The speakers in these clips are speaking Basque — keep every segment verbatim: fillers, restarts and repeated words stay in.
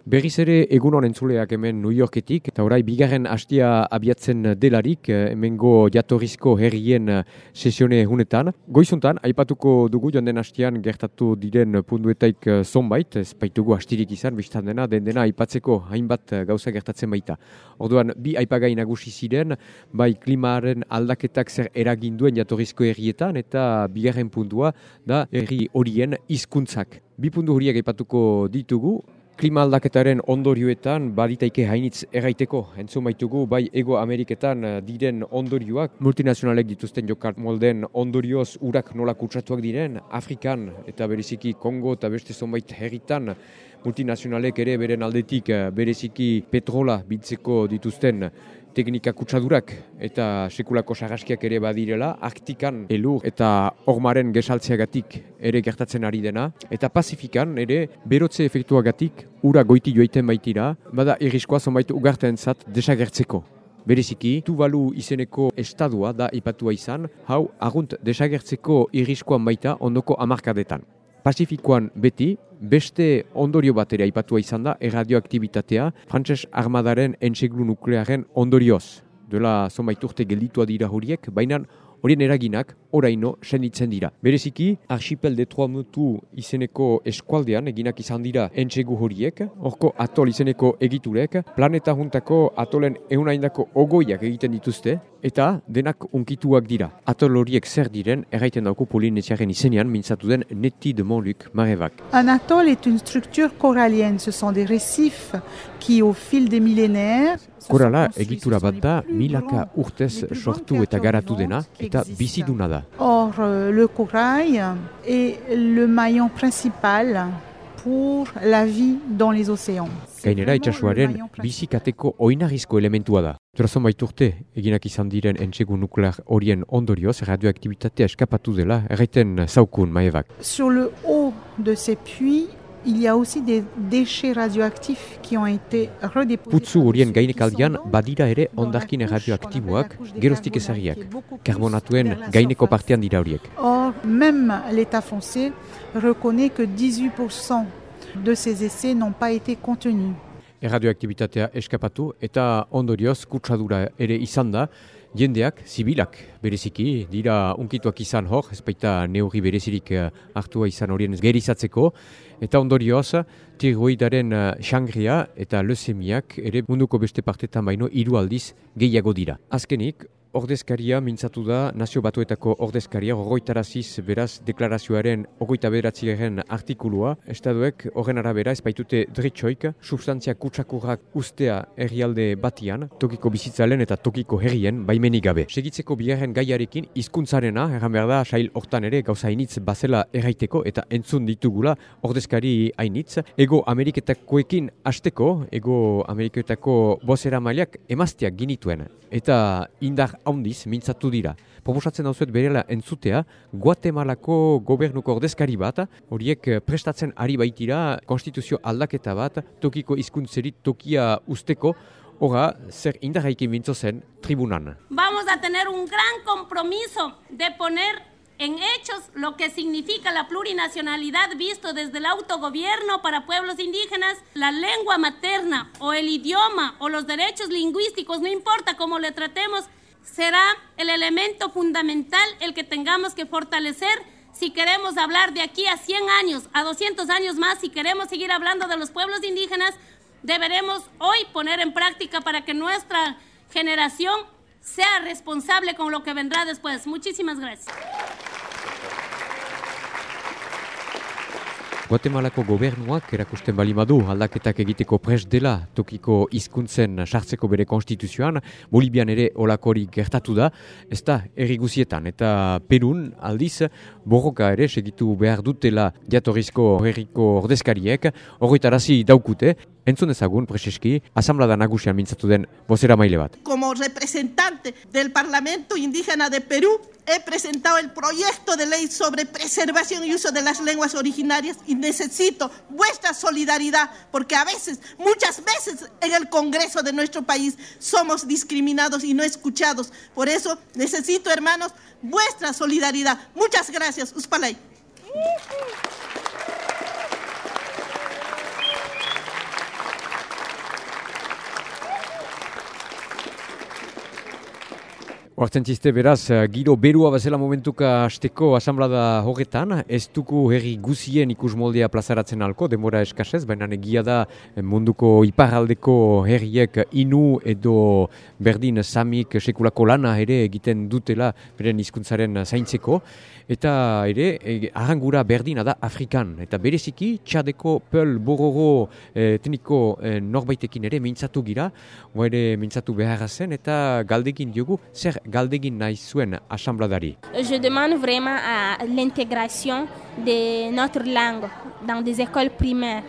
Berriz ere egun honen zuleak hemen New Yorketik, eta orai bigarren hastia abiatzen delarik, hemengo jatorrizko herrien sesione hunetan. Goizuntan, aipatuko dugu joan den hastian gertatu diren punduetaik zonbait, ez baitugu hastirik izan, biztan dena, den dena aipatzeko hainbat gauza gertatzen baita. Orduan, bi aipagai nagusi ziren, bai klimaren aldaketak zer eragin duen jatorrizko herrietan, eta bigarren puntua da herri horien hizkuntzak. Bi puntu horiek aipatuko ditugu. Klima aldaketaren ondorioetan baditaike hainitz erraiteko. Entzun baitugu bai Ego Ameriketan diren ondorioak, multinazionalek dituzten jokar molden ondorioz urak nola kutsatuak diren, Afrikan eta bereziki Kongo eta beste zonbait herritan multinazionalek ere beren aldetik bereziki petrola biltzeko dituzten teknika kutsadurak eta sekulako sarraskiak ere badirela, Arktikan elur eta ormaren gesaltzeagatik ere gertatzen ari dena, eta Pazifikan ere berotze efektuagatik ura goiti joiten baitira, bada irriskoa zonbait ugartentzat desagertzeko. Bereziki, Tuvalu izeneko estadua da ipatua izan, hau argunt desagertzeko irriskoan baita ondoko hamarkadetan. Pazifikoan beti, beste ondorio bat ere aipatua izan da, erradioaktibitatea, Frantses armadaren entseglu nuklearen ondorioz. Duela zonbait urte gelditua dira horiek, baina horien eraginak oraino senditzen dira. Bereziki, Archipel de Tuamotu izeneko eskualdean eginak izan dira entsegu horiek, horko atol izeneko egiturek, planeta juntako atolen eunaindako ogoiak egiten dituzte, eta denak unkituak dira. Atol horiek zer diren, erraiten dauko Polinesiaren izenean mintzatu den Netty de Montluc Marevak. Un atoll est une structure corallienne. Ce sont des récifs qui, au fil des millénaires, Korala egitura bat da, milaka urtez sortu eta garatu dena, eta biziduna da. Or, le corail est le maillon principal pour la vie dans les océans. Gainera itsasoaren bizikateko oinarrizko elementua da. Durazon baiturte, eginak izan diren entsegu nuklear horien ondorioz, radioaktibitatea eskapatu dela, erraiten zaukun, Maevak. Sur le haut de ces puits, il y a aussi des déchets radioactifs qui ont été redéposés. Putzu horien gainekaldian badira ere ondarkin radioaktiboak geroztik ezarriak. Karbonatuen gaineko partean dira horiek. Or, même l'État français reconnaît que dix-huit pour cent de ces essais n'ont pas été contenus. Erradioaktibitatea eskapatu eta ondorioz kutsadura ere izan da, jendeak, zibilak, bereziki, dira unkituak izan hor, ez baita neurri berezirik hartua izan horien gerizatzeko, eta ondorioz, tiroidaren xangria eta leuzemiak ere munduko beste partetan baino hiru aldiz gehiago dira. Azkenik, ordezkaria mintzatu da, Nazio Batuetako ordezkaria, horroitaraziz beraz deklarazioaren hogeita bederatziaren artikulua, estaduek horren arabera ez baitute dritxoik, substantzia kutsakurrak ustea herrialde batian, tokiko bizitzalen eta tokiko herrien baimenik gabe. Segitzeko bigarren gaiarekin hizkuntzarena, erran behar da, sail hortan ere gauza hainitz bazela erraiteko eta entzun ditugula ordezkari hainitz. Ego Ameriketakoekin hasteko, Ego Ameriketako bozera mailak emazteak ginituen eta indar handiz mintzatu dira. Proposatzen dauzuet berela entzutea, Guatemalako gobernuko ordezkari bat, horiek prestatzen ari baitira konstituzio aldaketa bat, tokiko hizkuntzerit tokia usteko, ora zer indarraikin mintzo zen tribunan. Vamos a tener un gran compromiso de poner en hechos lo que significa la plurinacionalidad visto desde el autogobierno para pueblos indígenas, la lengua materna o el idioma o los derechos lingüísticos, no importa cómo le tratemos, será el elemento fundamental el que tengamos que fortalecer si queremos hablar de aquí a cien años, a doscientos años más, si queremos seguir hablando de los pueblos indígenas, deberemos hoy poner en práctica para que nuestra generación sea responsable con lo que vendrá después. Muchísimas gracias. Guatemalako gobernuak erakusten balimadu aldaketak egiteko prest dela tokiko hizkuntzen sartzeko bere konstituzioan, Bolibian ere olakorik gertatu da, ez da herri guzietan, eta Perun aldiz borroka ere segitu behar dutela jatorrizko herriko ordezkariek, horretarazi daukute, entzun ezagun, Preseski, asamblada nagusian mintzatu den bozera maile bat. Como representante del Parlamento Indígena de Perú, he presentado el proyecto de ley sobre preservación y uso de las lenguas originarias y necesito vuestra solidaridad porque a veces, muchas veces en el Congreso de nuestro país somos discriminados y no escuchados. Por eso necesito, hermanos, vuestra solidaridad. Muchas gracias. Uspalay. Oartzen ziste beraz, giro berua bazela momentuka hasteko asamblada horretan, ez duku herri guzien ikus moldea plazaratzen alko, denbora eskasez, baina egia da munduko iparraldeko herriek inu edo berdin samik sekulako lana ere egiten dutela beren hizkuntzaren zaintzeko, eta ere arrangura berdina da Afrikan, eta bereziki txadeko peul bororo etniko norbaitekin ere mintzatu gira, oa ere mintzatu beharra zen, eta galdekin diogu, zer galdegin nahi zuen asambladari. Je demande vraiment à l'intégration de notre langue dans des écoles primaires.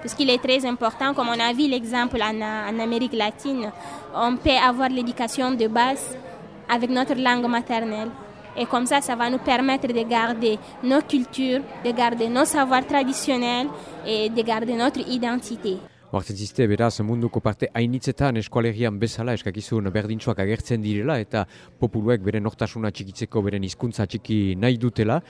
Parce qu'il est très important, comme on a vu l'exemple en, en Amérique latine, on peut avoir l'éducation de base avec notre langue maternelle. Et comme ça, ça va nous permettre de garder nos cultures, de garder nos savoirs traditionnels et de garder notre identité. Hortzen ziste, beraz, munduko parte hainitzetan eskualerian bezala eskakizun berdintsuak agertzen direla eta populuek beren nortasuna txikitzeko beren hizkuntza txiki nahi dutela.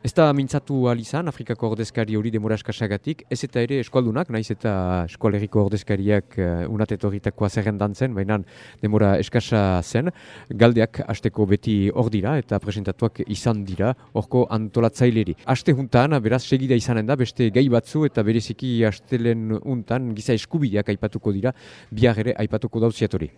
Ez da mintzatu alizan, Afrikako ordezkari hori demora eskasagatik, ez eta ere eskualdunak, naiz eta eskualeriko ordezkariak uh, unatetoritakoa zerrendan zen, baina demora eskasa zen. Galdeak hasteko beti hor dira eta presentatuak izan dira horko antolatzaileri. Aste juntan, beraz, segida izanen da, beste gai batzu eta bereziki astelen untan giza eskubideak aipatuko dira, bihar ere aipatuko dauziatori.